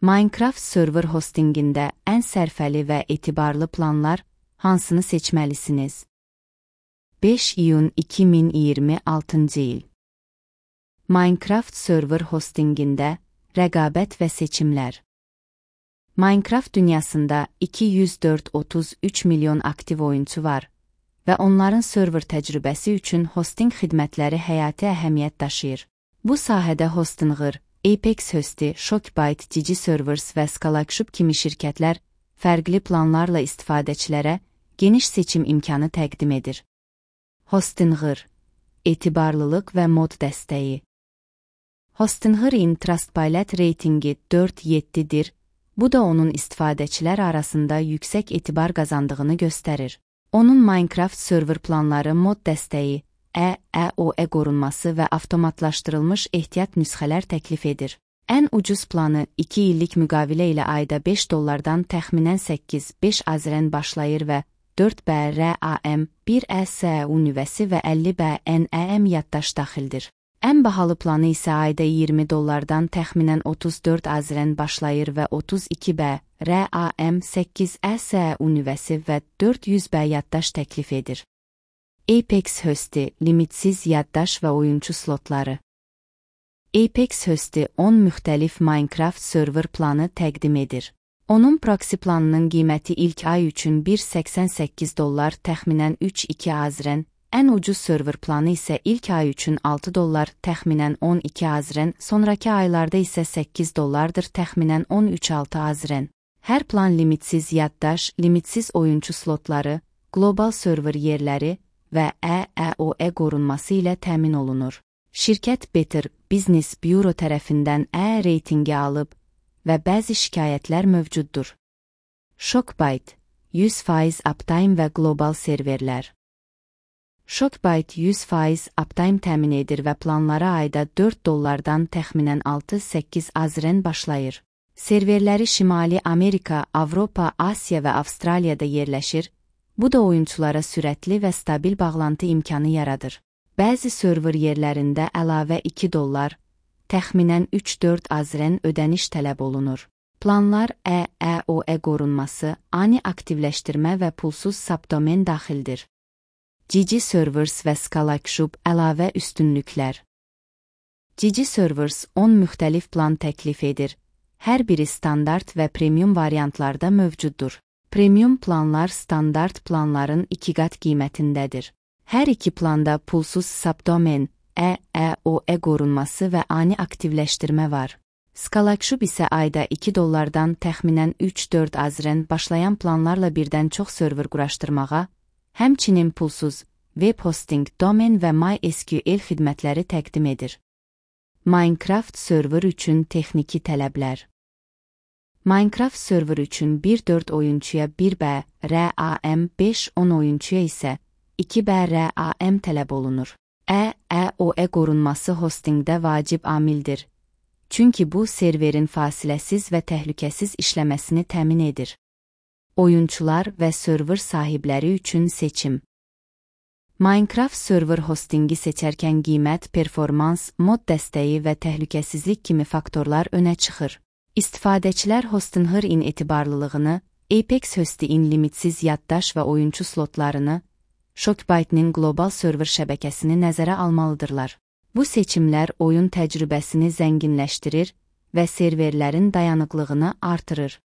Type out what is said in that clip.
Minecraft server hostingində ən sərfəli və etibarlı planlar hansını seçməlisiniz? 5 iyun 2026 il. Minecraft server hostingində rəqabət və seçimlər. Minecraft dünyasında 204,33 milyon aktiv oyunçu var və onların server təcrübəsi üçün hosting xidmətləri həyati əhəmiyyət daşıyır. Bu sahədə Hostinqr, Apex Hosti, Shockbyte, Digiservers və Scalacube kimi şirkətlər fərqli planlarla istifadəçilərə geniş seçim imkanı təqdim edir. Hostinqr, etibarlılıq və mod dəstəyi. Hostinqr-in Trustpilot reytingi 4.7-dir. Bu da onun istifadəçilər arasında yüksək etibar qazandığını göstərir. Onun Minecraft server planları mod dəstəyi, EOE qorunması və avtomatlaşdırılmış ehtiyat nüsxələr təklif edir. Ən ucuz planı 2 illik müqavilə ilə ayda $5 təxminən 8-5 AZRN başlayır və 4 BRAM, 1 ESU nüvəsi və 50 BNEM yaddaş daxildir. Ən bahalı planı isə ayda $20 təxminən 34 AZRN başlayır və 32 BRAM, 8 ESU nüvəsi və 400 B yaddaş təklif edir. Apex Hosti, limitsiz yaddaş və oyunçu slotları. Apex Hosti 10 müxtəlif Minecraft server planı təqdim edir. Onun proxy planının qiyməti ilk ay üçün $1.88 təxminən 3.2 AZRN, ən ucuz server planı isə ilk ay üçün $6 təxminən 12 AZRN, sonraki aylarda isə $8 təxminən 13.6 AZRN. Hər plan limitsiz yaddaş, limitsiz oyunçu slotları, qlobal server yerləri və EOE qorunması ilə təmin olunur. Şirkət Better Business Bureau tərəfindən reytingi alıb və bəzi şikayətlər mövcuddur. Shockbyte, 100% uptime və qlobal serverlər. Shockbyte 100% uptime təmin edir və planlara ayda $4 təxminən 6-8 AZRN başlayır. Serverləri Şimali Amerika, Avropa, Asiya və Avstraliyada yerləşir. Bu da oyunçulara sürətli və stabil bağlantı imkanı yaradır. Bəzi server yerlərində əlavə $2, təxminən 3-4 AZRN ödəniş tələb olunur. Planlar EOE qorunması, ani aktivləşdirmə və pulsuz subdomen daxildir. Digiservers və Scalacube əlavə üstünlüklər. Digiservers 10 müxtəlif plan təklif edir. Hər biri standart və premium variantlarda mövcuddur. Premium planlar standart planların 2 qat qiymətindədir. Hər iki planda pulsuz subdomen, EOE qorunması və ani aktivləşdirmə var. Scalacube isə ayda $2 təxminən 3-4 AZRN başlayan planlarla birdən çox server quraşdırmağa, həmçinin pulsuz web hosting, domen və MySQL xidmətləri təqdim edir. Minecraft server üçün texniki tələblər. Minecraft server üçün 1-4 oyunçuya 1 BRAM, 5-10 oyunçuya isə 2 BRAM tələb olunur. EOE qorunması hostingdə vacib amildir. Çünki bu serverin fasiləsiz və təhlükəsiz işləməsini təmin edir. Oyunçular və server sahibləri üçün seçim. Minecraft server hostingi seçərkən qiymət, performans, mod dəstəyi və təhlükəsizlik kimi faktorlar önə çıxır. İstifadəçilər Hostinqr-in etibarlılığını, Apex Hosti-in limitsiz yaddaş və oyunçu slotlarını, Shockbyte-nin qlobal server şəbəkəsini nəzərə almalıdırlar. Bu seçimlər oyun təcrübəsini zənginləşdirir və serverlərin dayanıqlığını artırır.